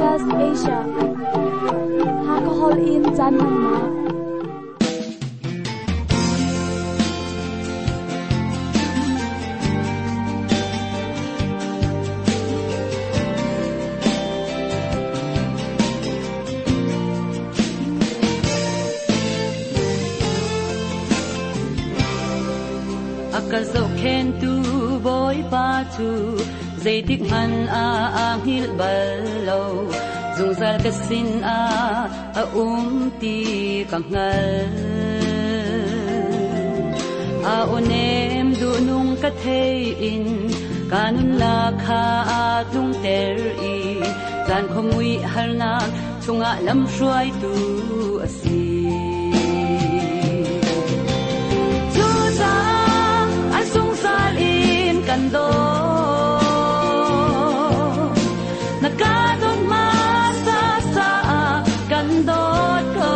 SBS Asia. Hakahol in caan hmannak. A ka zohkhentu Bawipa cu zeitik hmanh ah aa hngilh bal lo. Zungzal ka sin ah a um ti ka hngal. A aw nem duhnung ka thei in ka nunnak kha aa tlungter i caan khuamui harnak chungah lamhruaitu a si. Cucaah a zungzal in kan dawt. Na ka dawt hmasa caah kan dawt ko.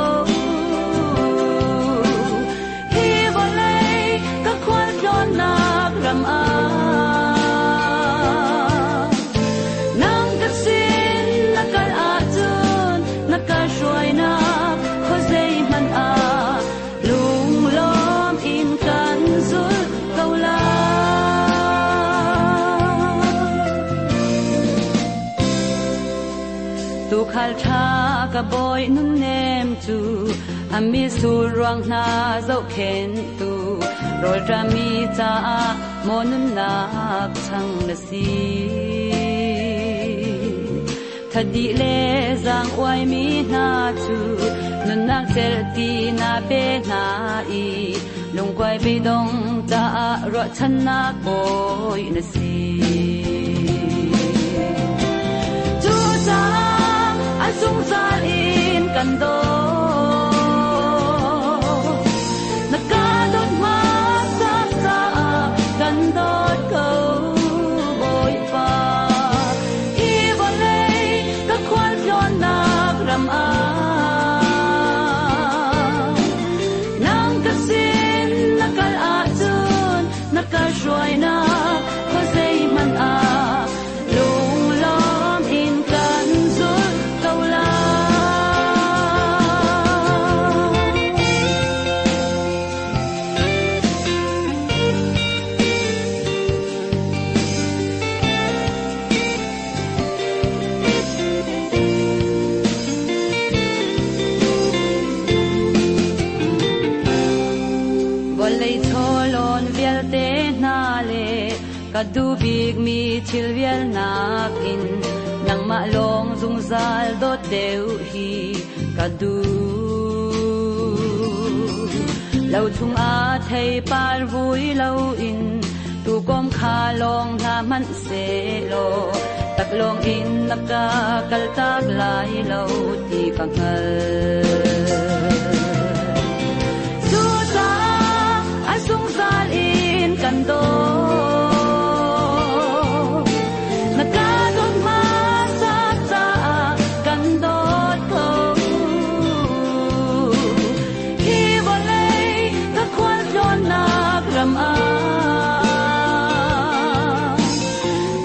Hi vawlei ka khualtlawnnak ram ah nang ka sin na kal ahcun na ka hruainak khuazei hmanh ah lunglawm in kan zulh ko lai. Tuukhal ṭha ka bawi nunnem cu a mitsur ruang hna zohkhenhtu rawlṭami caah maw nunnak chang na si. Thadi le zaang uaimi hna cu nunnak celh ti na pe hna i lungkuai beidong caah ruahchannak bawi na si. Cucaah a zungzal in kan dawt. Na ka dawt hmasa caah kan dawt ko, Bawipa. Hi vawlei ka khualtlawnnak ram ah nang ka sin na kal ahcun na ka hruainak khuazei hmanh ah lunglawm in kan zulh ko lai. Vawlei chawlawn vialte hna le ka duh bikmi thil vialnak in nangmah lawng zungzal dawt deuh hi ka duh. Lo chungah theipar vui loin tuukawm kha lawng hna hmanh sehlaw taklawng in na ka kaltak lai lo ti ka hngal. Cucaah a zungzal in kan dawt. Na ka dawt hmasa caah kan dawt ko. Hi vawlei ka khualtlawnnak ram ah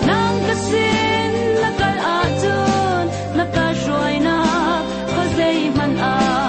nang ka sin na kal ahcun na ka hruainak khuazei hmanh ah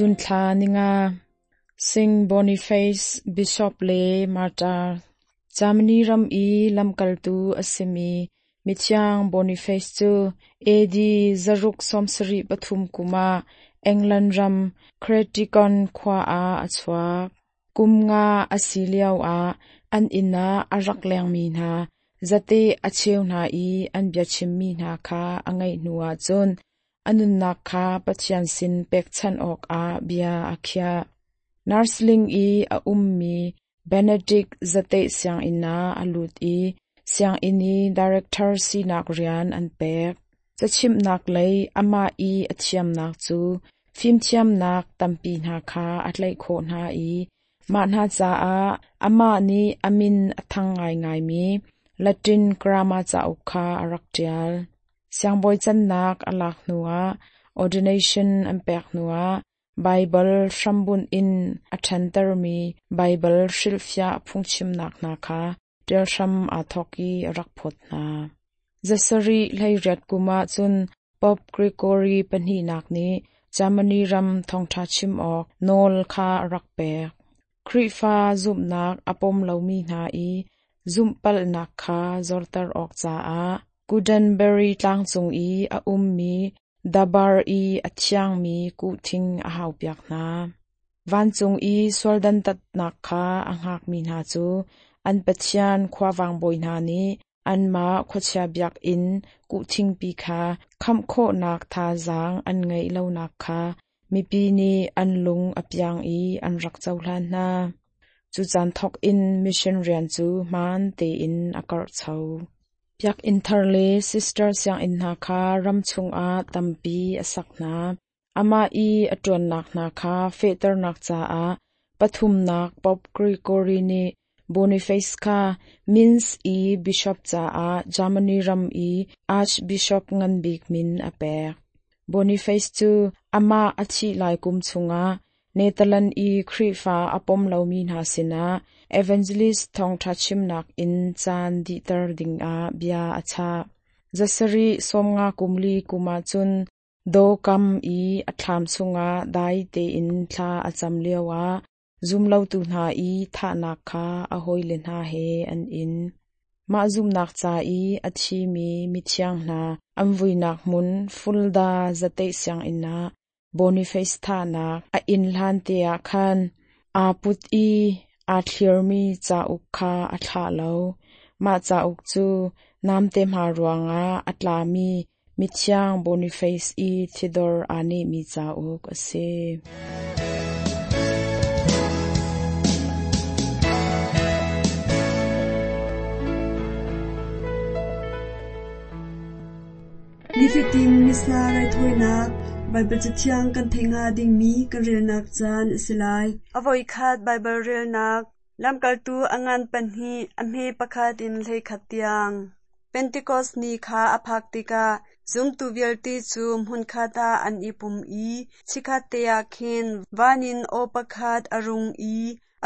June thla ninga. Saint Boniface Bishop le Martyr. Germany ram i lamkaltu a simi Mithiang Boniface cu AD 673 kum ah England ram Creticon khua ah a chuak. Kum nga a si lioah an inn ah a rak lengmi hna zate a cheu hna i an biachimmi hna kha a ngaih hnuah cun a nunnak kha Pathian sin pekchanh awkah bia a khiah. Nursling i a ummi Benedict zateih sianginn ah a lut i sianginn i director sinak rian an pek. Cachimhnak lei amah i a thiamnak cu fimthiamnak tampi hna kha a tlaih khawh hna i mah hna caah amah nih a min a thang ngaingaimi Latin grammar cauk kha a rak ṭial. Siangbawi cannak a lak hnuah ordination an pek hnuah Baibal hrambunh in a ṭhantermi Baibal hrilhfiah phungchimnak hna kha ṭial hram aa thawk i a rak phawt hna. Zasarih 18 kum ah cun Pope Gregory pahnihnak nih Germany ram thawngṭha chim awk nawl kha a rak pek. Khrihfa zumhnak a pom lomi hna i zumhpalhnak kha zorter awk caah Gutenberg tlangcung i a ummi dabar i a thiangmi kuhthing a haupiak hna. Vancung i sual dantatnak kha a hngakmi hna cu an Pathian khuavang bawi hna nih anmah khuachia biakinn kuhthingpi kha khamh khawhnak thazaang an ngeih lonak kha mipi nih an lung a piang i an rak cohlan hna. Cu caan thawk in mission rian cu hmaan tein a karhcho. Biakinn thar le sister sianginn hna kha ram chungah tampi a sak hna. Amah i a ṭuannak hna kha fehternak caah pathumnak Pope Gregory nih Boniface kha Mainz i bishop caah Germany ram i archbishop nganbik min a pek. Boniface cu amah a thih lai kum chungah Netherlands i Khrihfa a pom lomi hna sinah evangelist thawngṭha chimnak in caan dihter dingah bia a chah. Zasarih 50 kum li kum ah cun Dawkam i a thlam chungah dai tein thla a cam lioah zumlotu hna i thahnak kha a hawile hna he an in. Mah zumhnak ca i a thimi mithiang hna an vuinak hmun Fulda zateih sianginn ah Boniface thahnak a inn hlan te ah khan aa put i aa thlirmi cauk kha a thlah lo. Mah cauk cu namte hma ruangah a tlami Mithiang Boniface i thidor aa nehmi cauk a si. Nifatin Missa raithawinak Baibal Cathiang kan theih hnga dingmi kan relnak caan a si lai. A voikhat Baibal relnak Lamkaltu a ngan pahnih, a hme pakhat in 11 tiang. Pentekos ni kha a phak tikah zumtu vialte cu hmunkhat ah an i pum i chikkhatte ah khin van in aw pakhat a rung i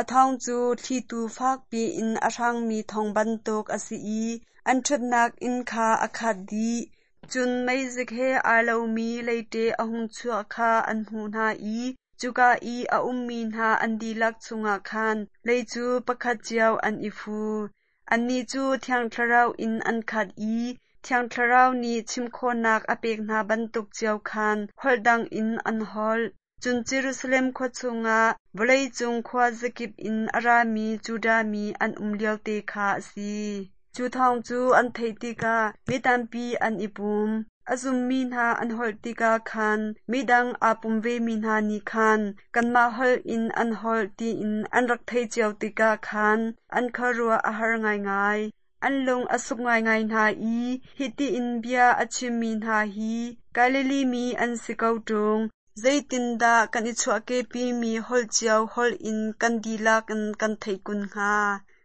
a thawng cu thlitu fakpi in a hrangmi thawng bantuk a si i an ṭhutnak inn kha a khat dih. Cun meizik he aa lomi leite a hung chuah kha an hmuh hna i cuka i a ummi hna an dihlak chungah khan lei cu pakhat cio an i fu. Annih cu Thiang Thlarau in an khat i Thiang Thlarau nih chim khawhnak a pek hna bantuk cio khan holh dang in an holh. Cun Jerusalem khua chungah vawleicung khuazakip in a rami Judah mi an um liote kha a si. Cu thawng cu an theih tikah mi tampi an i pum. A zummi hna an holh tikah khan midang aa pum vemi hna nih khan kanmah holh in an holh tiin an rak theih cio tikah khan an khuaruah a har ngaingai. An lung a suk ngaingai hna i hiti in bia a chimmi hna hi Galilee mi an si ko ṭung. Zeitindah kan i chuahkehpimi holh cio holh in kan dihlak in kan theih kun hnga?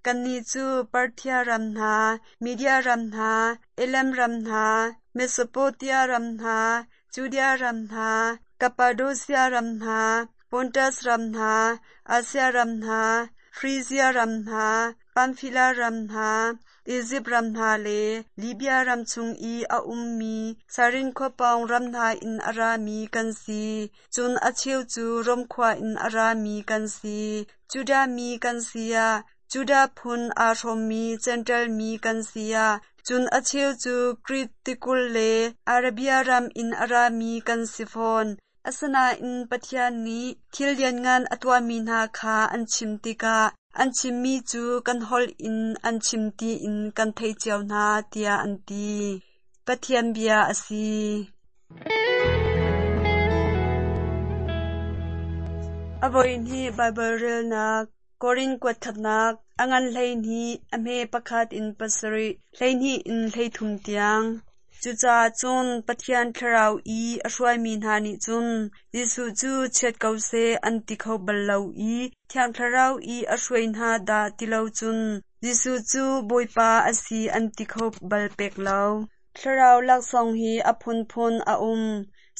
Kannih cu Parthia ram hna, Media ram hna, Elam ram hna, Mesopotamia ram hna, Judea ram hna, Kappadosia ram hna, Pontus ram hna, Asia ram hna, Frizia ram hna, Pamfilia ram hna, Izipt ram hna le Libia ram chung i a ummi Sairin khua pawng ram hna in a rami kan si. Cun a cheu cu Rom khua in a rami kan si. Judah mi kan si ah, Judah phun aa hrawmmi Jentail mi kan si ah, cun a cheu cu Krit tikulh le Arabia ram in a rami kan si fawn. Asinain Pathian nih thil lianngan a tuahmi hna kha an chim tikah an chimmi cu kan holh in an chim tiin kan theih cio hna, tiah an ti. Pathian bia a si. A voihnih Baibal relnak Korin kuat khatnak, a ngan 12, a hme pakhat in pasarih, 12 in 13 tiang. Cucaah cun Pathian Thlarau i a hruaimi hna nih cun Jesuh cu chiat ko seh an ti kho bal lo i Thiang Thlarau i a hruai hna dah ti lo cun Jesuh cu Bawipa a si an ti kho bal pek lo. Thlarau laksawng hi a phunphun a um,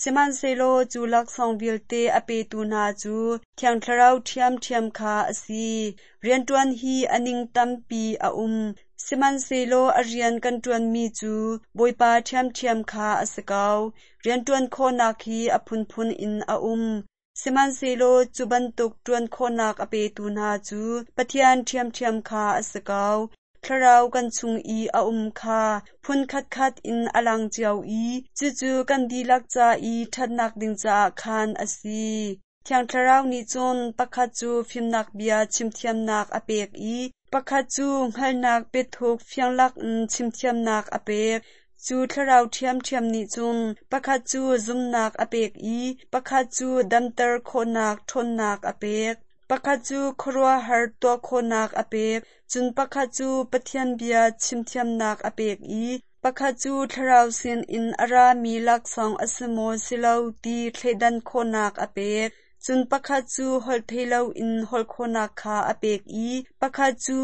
sihmanhsehlaw cu laksawng vialte a petu hna cu Thiang Thlarau ṭhiamṭhiam kha a si. Rianṭuan hi a ning tampi a um, sihmanhsehlaw a rian kan ṭuanmi cu Bawipa ṭhiamṭhiam kha a si ko. Rianṭuan khawhnak hi a phunphun in a um, Sihmanhsehlaw cu bantuk ṭuan khawhnak a petu hna cu Pathian ṭhiamṭhiam kha a si ko. Thlarau kan chung i a um kha phun khatkhat in a lang cio i cucu kan dihlak ca i ṭhatnak ding caah khan a si. Thiang Thlarau nih cun pakhat cu fimnak bia chimthiamnak a pek i pakhat cu hngalhnak biathuk fianglak in chimthiamnak a pek. Cu thlarau ṭhiamṭhiam nih cun pakhat cu zumhnak a pek i pakhat cu damter khawhnak ṭhawnnak a pek. Pakhat cu khuaruahhar tuah khawhnak a pek, cun pakhat cu Pathian bia chimthiamnak a pek i pakhat cu thlarau sinin a rami laksawng a si maw si lo ti thleidan khawhnak a pek. Cun pakhat cu holhtheihlo in holh khawhnak kha a pek i pakhat cu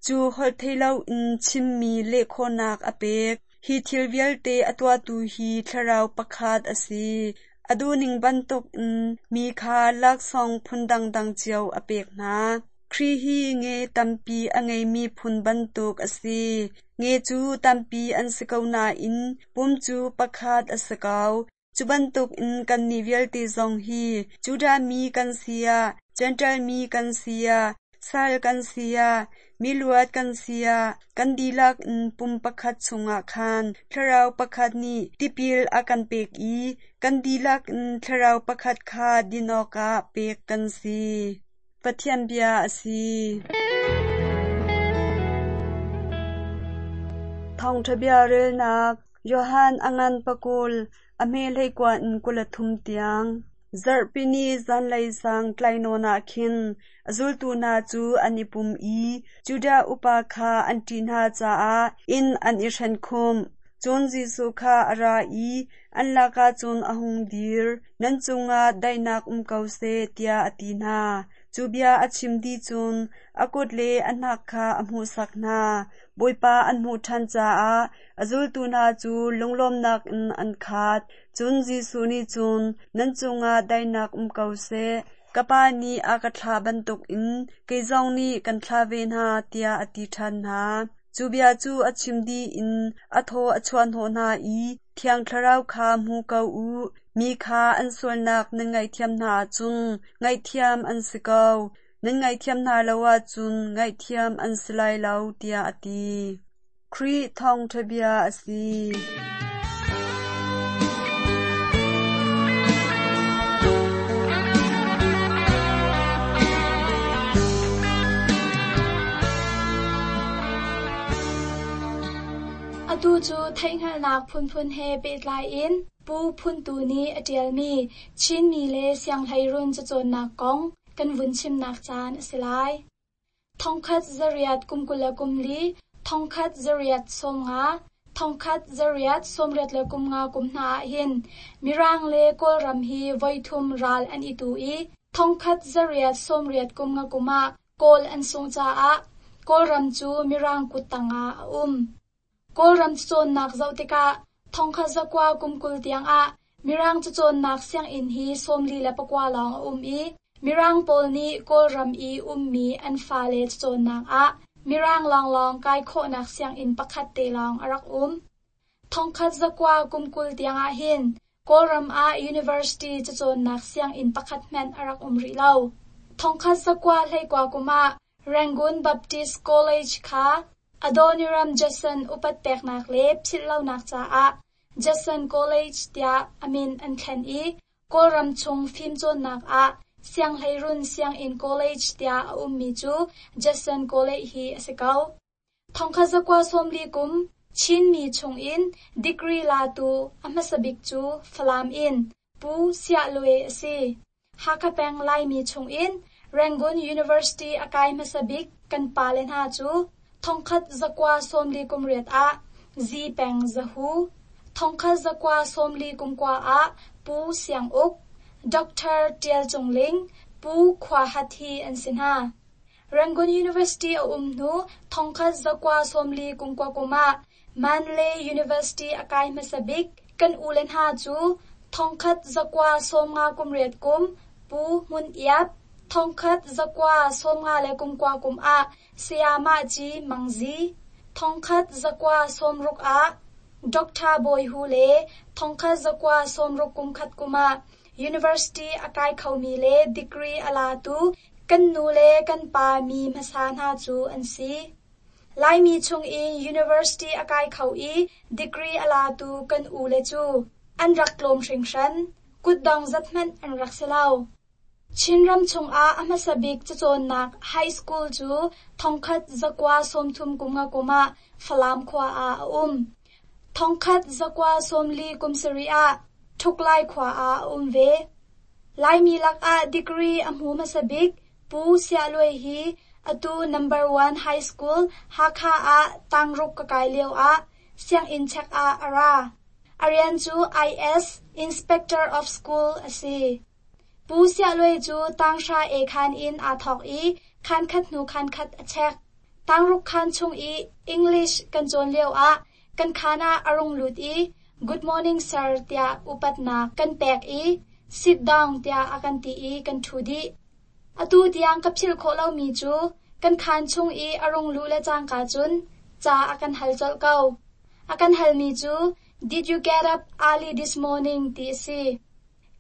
cu holhtheihlo in chimmi leh khawhnak a pek. Hi thil vialte a tuahtu hi Thlarau pakhat a si. A duhning bantukin mi kha laksawng phun dangdang cio a pek hna. Khrih hi nge tampi a ngeimi phun bantuk a si. Nge cu tampi an si ko nain pum cu pakhat a si ko. Cu bantukin kannih vialte zong hi Judah mi kan si ah, Jentail mi kan si ah, sal kan si ah, miluat kan si ah, kan dihlak in pum pakhat chungah khan Thlarau pakhat nih tipil a kan pek i kan dihlak in Thlarau pakhat kha din awkah pek kan si. Pathian bia a si. Thawngṭha bia relnak Johan a ngan pakul, a hme hleikua in 23 tiang. Zarhpini zanlei sang tlainawn ah khin a zultu hna cu an i pum i Judah upa kha an ṭih hna caah inn an i hrenkhumh. Cun Jesuh kha a ra i an lakah cun a hung dir. Nan cungah daihnak um ko seh, tiah a ti hna. Cu bia a chim dih cun a kut le a hnak kha a hmuhsak hna. Bawipa an hmuh ṭhan caah a zultu hna cu lunglawmnak in an khat. Cun Jesuh nih cun, Nan cungah daihnak um ko seh. Ka Pa nih a ka thlah bantukin kei zong nih kan thlah ve hna, tiah a ti ṭhan hna. Cu bia cu a chim dih in a thaw a chuahhnawh hna i, Thiang Thlarau kha hmu ko u. Mi kha an sualnak nan ngaihthiam hna ahcun ngaihthiam an si ko. Nan ngaihthiam hna lo ahcun ngaihthiam an si lai lo, tiah a ti. Khrih thawngṭha bia a si. Atu cu theihhngalhnak phunphun he pehtlai in Pu Phun Tu nih a ṭialmi Chinmi le Sianghleirun cacawnnak kong kan vun chimnak caan a si lai. Thongkhat zariat kum 24, thongkhat zariat 50, thongkhat zariat 85 kum hna ahhin Mirang le Kawlram hi voithum ral an i tu i thongkhat zariat 80 kum nga kum ah Kawl an sungh caah Kawlram cu Mirang kut tangah a um. Kawlram cacawnnak zoh tikah thongkhat zakua kum 20 tiangah Mirang cacawnnak sianginn hi 49 lawng a um i Mirang pawl nih Kawlram i ummi an fale cacawnnak ah Mirang lawnglawng kai khawhnak sianginn pakhat te lawng a rak um. 1920 tiang ahhin Kawlram ah university cacawnnak sianginn pakhat hmanh a rak um rih lo. 1919 kum ah Rangoon Baptist College kha Adoniram Judson upat peknak le philhlonak caah Judson College tiah a min an thlen i Kawlram chung fimcawnnak ah Sianghleirun Sianginn College tiah a ummi cu Judson College hi a si ko. 1940 kum Chinmi chungin degree latu a hmasa bik cu Falam in Pu Siah Luai a si. Hakha peng Laimi chungin Rangoon University a kai hmasa bik kan pale hna cu 1948 ah Zi Peng Zahu, 1949 ah Pu Siang Uk, Dr. Tial Cung Ling, Pu Khua Hat hi an si hna. Rangoon University a um hnu 1949 kum ah Mandalay University a kai hmasa bik kan ule hna cu 1958 kum Pu Hmun Iap, 1959 kum ah Sayamah Ci Mang Zi, 1960 ah Dr. Bawi Hu le 1961 kum ah University a kai khomi le degree a latu kan nu le kan pa mi hmasa hna cu an si. Laimi chungin university a kai kho i degree a latu kan ule cu an rak tlawm hringhran. Kutdong zat hmanh an rak si lo. Chinram chungah a hmasa bik cacawnnak high school cu 1933 kum ah Falam khua ah a um. 1947 ah Thuklai khua ah a um ve. Laimi lakah degree a hmu hmasa bik Pu Siah Luai hi atu Number One High School Hakha ah tangruk ka kai lio ah sianginn check ah a ra. A rian cu IS Inspector of School a si. Pu Siah Luai cu tanghra e khan in aa thawk i khan khat hnu khan khat a check. Tangruk khan chung i English kan cawn lio ah kan khan ah a rung lut i Good morning sir tiah upatnak kan pek i sit down tiah a kan ti i kan ṭhu dih. Atu tiang ka philh khawh lomi cu kan khaan chung i a rung luh le cangka cun ca a kan hal colh ko. A kan halmi cu Did you get up early this morning ti a si.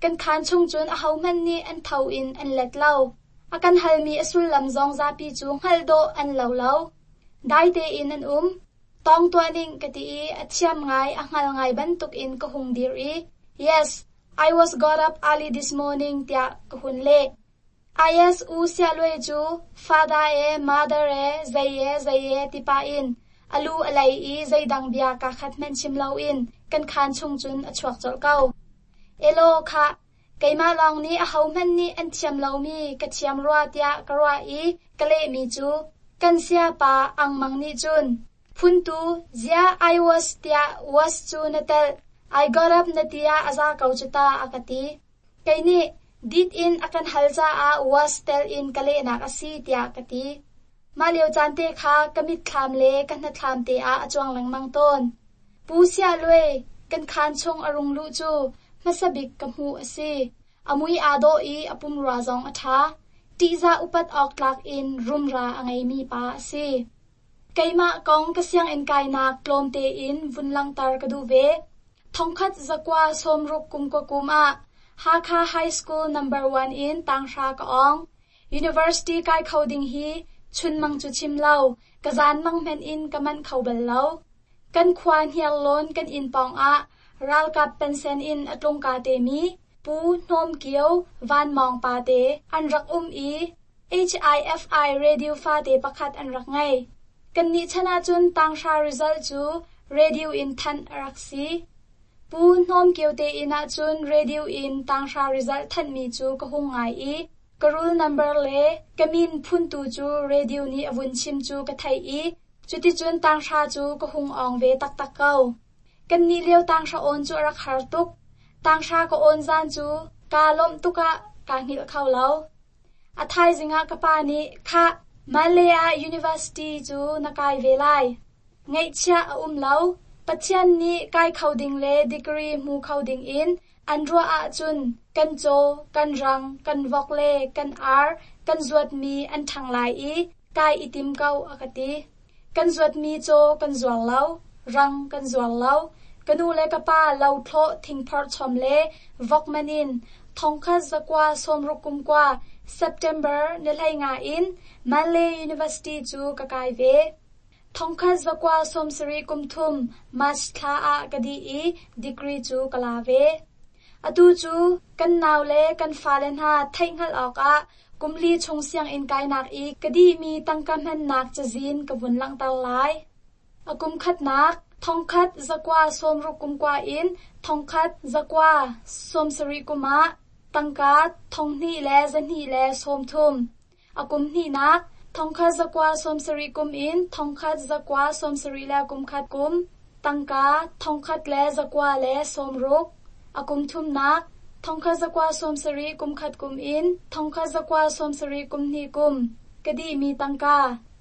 Kan khaan chung cun ahohmanh nih an tho in an let lo. A kan halmi a sullam zong zapi cu hngalh dawh an lo lo. Dai tein an um. Tawng tuah ning ka ti i a thiam ngai a hngal ngai bantukin ka hung dir i Yes, I was got up early this morning tiah ka hun leh. IS U Siah Luai cu father e mother e zei e zei e ti pah in a lu a lei i zeidang bia kaa khat hmanh chim loin kan khaan chung cun a chuak colh ko. Elaw khah, keimah lawng nih ahohmanh nih an thiam lomi ka thiam rua tiah ka ruah i ka lehmi cu kan sayapa Ang Mang nih cun Phuntu, ziah I was tiah was cu na telh, I got up na ti ah a za ko cu ta a ka ti. Kei nih did in a kan hal caah was tel in ka lehnak a si tiah ka ti. Mah lio caan te kha ka mitthlam le ka hnathlam te ah a cuang lengmang tawn. Pu Siah Luai kan khaan chung a rung luh cu hmasa bik ka hmuh a si. A mui aa dawh i a pumrua zong a ṭha. Ṭihzah upat awk tlak in rumra a ngeimi pa a si. Keimah kong ka sianginn kainak tlawm tein vun langhter ka duh ve. 1960 kum ka kum ah Hakha High School number 1 in tanghra ka awng. University kai kho ding hi chunmang cu chim lo, ka zanmang hmanh in ka manh kho bal lo. Kan khua Hniarlawn kan inn pawng ah ralkap pensen in a tlungka temi Pu Hnawm Kio Van Mawng pa te an rak um i HIFI radio fate pakhat an rak ngei. Kannih chan ahcun tanghra result cu radio in thanh a rak si. Pu Hnawm Kio te inn ahcun radio in tanghra result thanhmi cu ka hung ngai i ka roll number le ka min phuntu cu radio nih a vun chim cu ka theih i cuticun tanghra cu ka hung awng ve taktak ko. Kannih lio tanghra awn cu a rak har tuk. Tanghra ka awn zan cu kaa lawmh tuk ah kaa hngilh kho lo. A thaizing ah ka pa nih, "Khah, Malay ah university cu na kai ve lai. Ngaihchiah a um lo. Pathian nih kai kho ding le degree hmu kho ding in an ruah ahcun kan caw, kan rang, kan vok le kan ar kan zuatmi an ṭhang lai i Kai i tim ko a ka ti. Kan zuatmi caw kan zuar lo, rang kan zuar lo. Ka nu le ka pa lo thlawh thingphorh chom le vok man in 1969 September ni 15 in Mandalay University cu ka kai ve. 1973 March thla ah ka dih i degree cu ka la ve. Atu cu kan nau le kan fale hna theihhngalh awkah kum li chung sianginn kainak i ka dihmi tangka hmannak cazin ka vun langhter lai. A kum khatnak 1969 in 1970 kum ah tangka 2230. A kum hnihnak 1970 kum in 1971 kum tangka 1960. A kum thumnak 1971 kum in 1972 kum ka dihmi tangka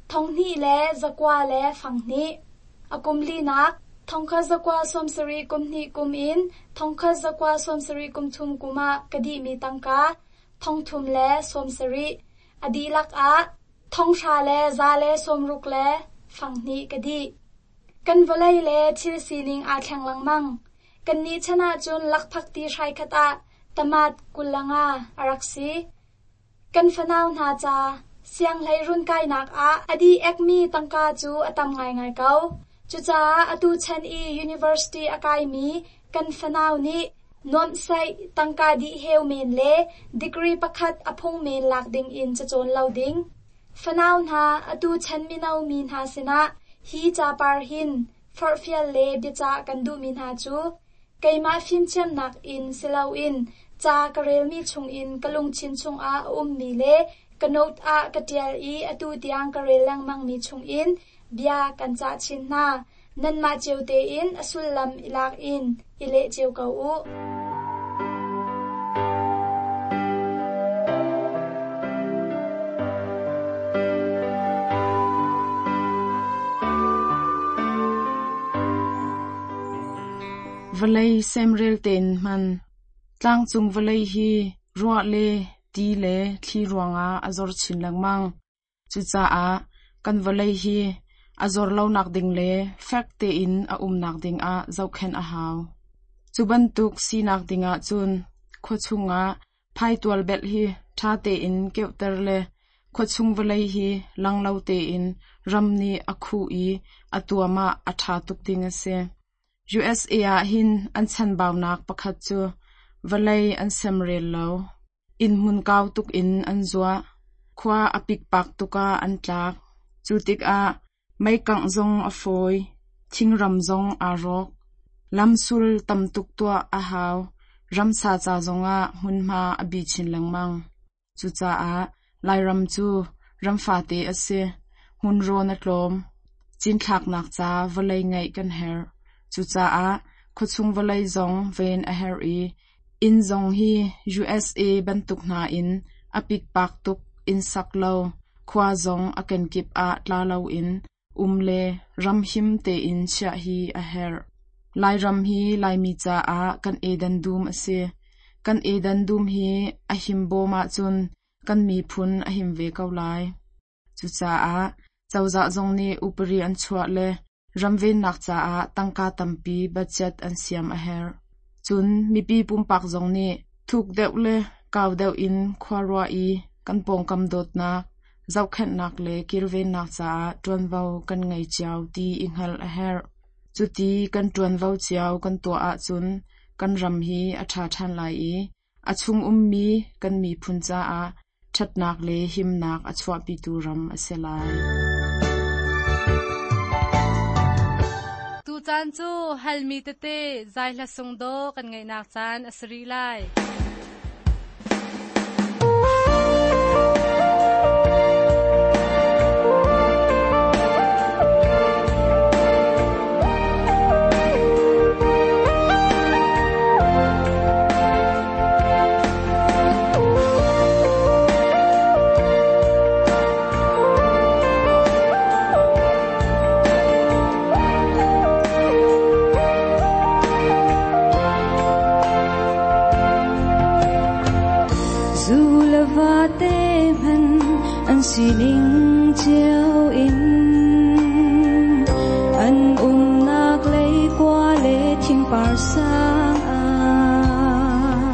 2902. A kum linak 1972 kum in 1973 kum ah ka dihmi tangka 3070. A dihlak ah 3160 ka dih. Kan vawlei le thil sining aa thleng lengmang. Kannih chan ahcun lakphakti hrai khat ah tamat 25 a rak si. Kan fanau hna ca sianghleirun kainak ah a dih ekmi tangka cu a tam ngaingai ko. Cucaah atu chan i university a kaimi kan fanau nih nuamhsaih tangka dih heu men le degree pakhat a phung men lak ding in cacawn lo ding. Fanau hna atu chan mino mi hna sinah hi capar hin forhfial le biacah kan duhmi hna cu keimah fimthiamnak in siloin ca ka relmi chungin ka lungthin chungah a ummi le ka note ah ka ṭial i atu tiang ka rel lengmangmi chungin bia kan cah chin hna. Nanmah cio tein a sullam i lak in i leh cio ko u. Vawlei semrel tein hman. Tlangcung vawlei hi ruah le ti le thli ruangah a zor chin lengmang. Cucaah kan vawlei hi a zor lonak ding le fek tein a umnak dingah zohkhenh a hau. Cu bantuk sinak dingah cun khua chungah phaitual belh hi ṭha tein keuhter le khuachung vawlei hi lang lo tein ram nih a khuh i a tuam ah a ṭha tuk ding a si. USA ah hin an chanbaunak pakhat cu vawlei an semrel lo. Inn hmun kau tuk in an zuah. Khua a pikpak tuk ah an tlak. Cu tikah meikangh zong a fawi. Thingram zong aa rawk. Lamsul tam tuk tuah a hau. Ramsa ca zongah hmunhma a bi chin lengmang. Cucaah Lairam cu ram fate a si. Hmunrawn a tlawm. Cinthlaknak ca vawlei ngeih kan herh. Cucaah khuachung vawlei zong ven a herh i inn zong hi USA bantuk hna in a pikpak tuk in sak lo, khua zong a kenkip ah tla loin um le ram him tein chiah hi a herh. Lairam hi Laimi caah kan edan dum a si. Kan edan dum hi a him bawm ahcun kan miphun a him ve ko lai. Cucaah cozah zong nih upari an chuah le ramvennak caah tangka tampi budget an siam a herh. Cun mipi pumpak zong nih thuk deuh le kau deuh in khua ruah i kan pawngkam dawtnak, zohkhenhnak le kilvennak caah ṭuanvo kan ngei cio ti i hngalh a herh. Cuti kan ṭuanvo cio kan tuah ahcun kan ram hi a ṭha ṭhan lai i a chung ummi kan miphun caah ṭhatnak le himnak a chuahpitu ram a si lai. Tucaan cu halmi tete zai hla sung dawh kan ngaihnak caan a si rih lai. Sining Cio in an umnak leikua le thingpar sang ah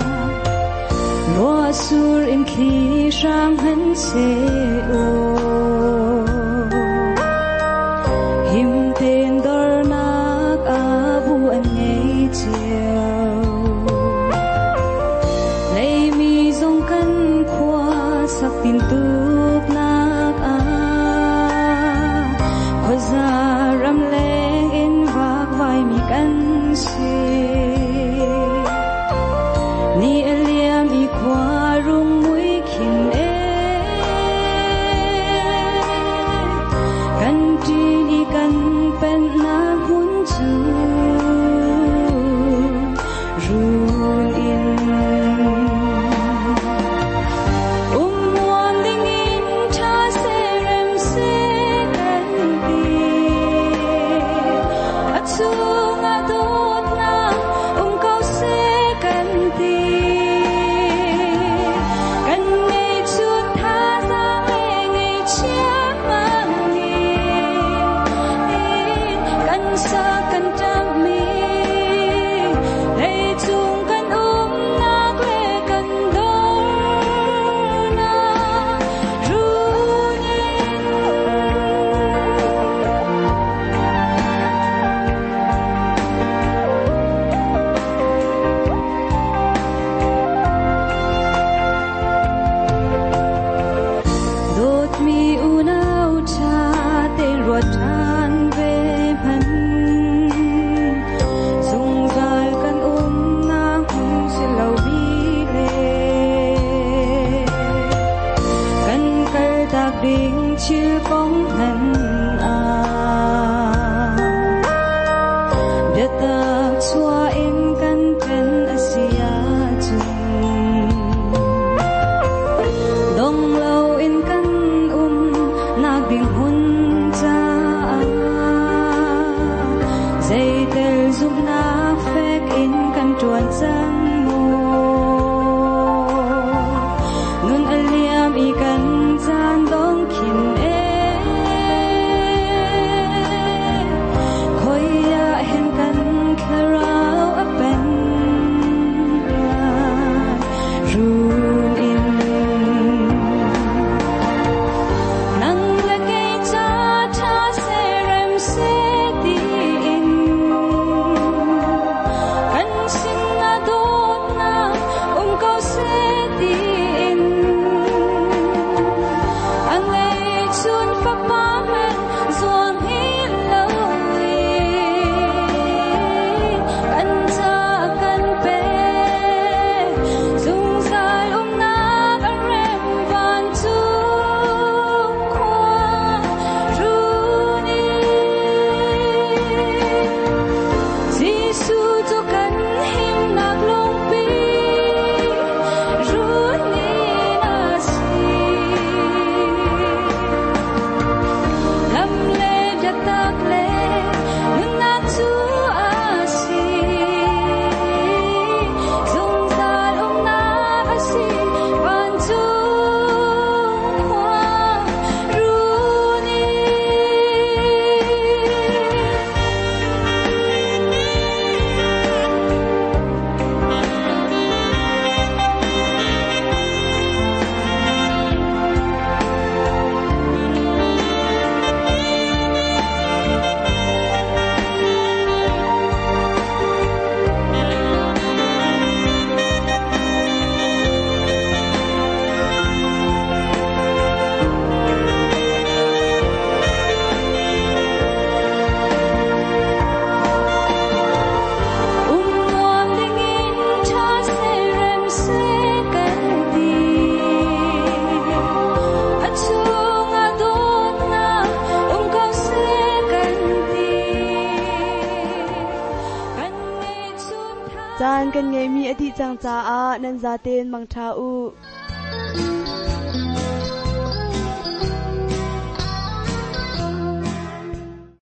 ruah sur in thli hrang han seh aw him tein dornak ah bu an ngei cio. Leimi zong kan khua sak tintuk nak ah khuaza ram leng in vak vai mi kan si. Ni a liam i khua rung mui khin e kan ṭin i kan pennak hmun cu run in. Um nuam dingin ṭha seh rem seh kan ti. A chungah dawtnak um ko seh kan ti. Kan ngeihchun thazaang le ngeihchia hmangin kan sa kan ṭamhmi leicung kan umnak le kan dornak run in. Dawtmi unau ṭha tein ruat ṭhan ve hmanh. Zungzal kan umnak hmun si lomi le kan kaltak ding thil kong hmanh ah biatak chuah in kan ṭhen a si ahcun dong loin kan um nak ding hmun caah zeitel zumhnak fek in kan ṭuan cang maw? Nun a liam i kan caan dong khin e khoi ah hen kan thlarau a pen lai run in. Nang le kei ca ṭha seh rem seh tiin kan sinah dawtnak um ko seh tiin a ngeihchun fapa hmanh zuang hi lo in kan ca kan pek. Zungzal umnak a rem vancung khua run in. Jesuh cu kan himnak lungpi run in a si. Lam le biatak le nunnak cu a si. Zungzal umnak a si vancung khua run in. Um nuam dingin ṭha seh rem seh kan ti. A chungah dawtnak um ko seh kan ti. Kan ngeihchun tha Caan kan ngeihmi a dih cang caah nan zaten mangṭha u.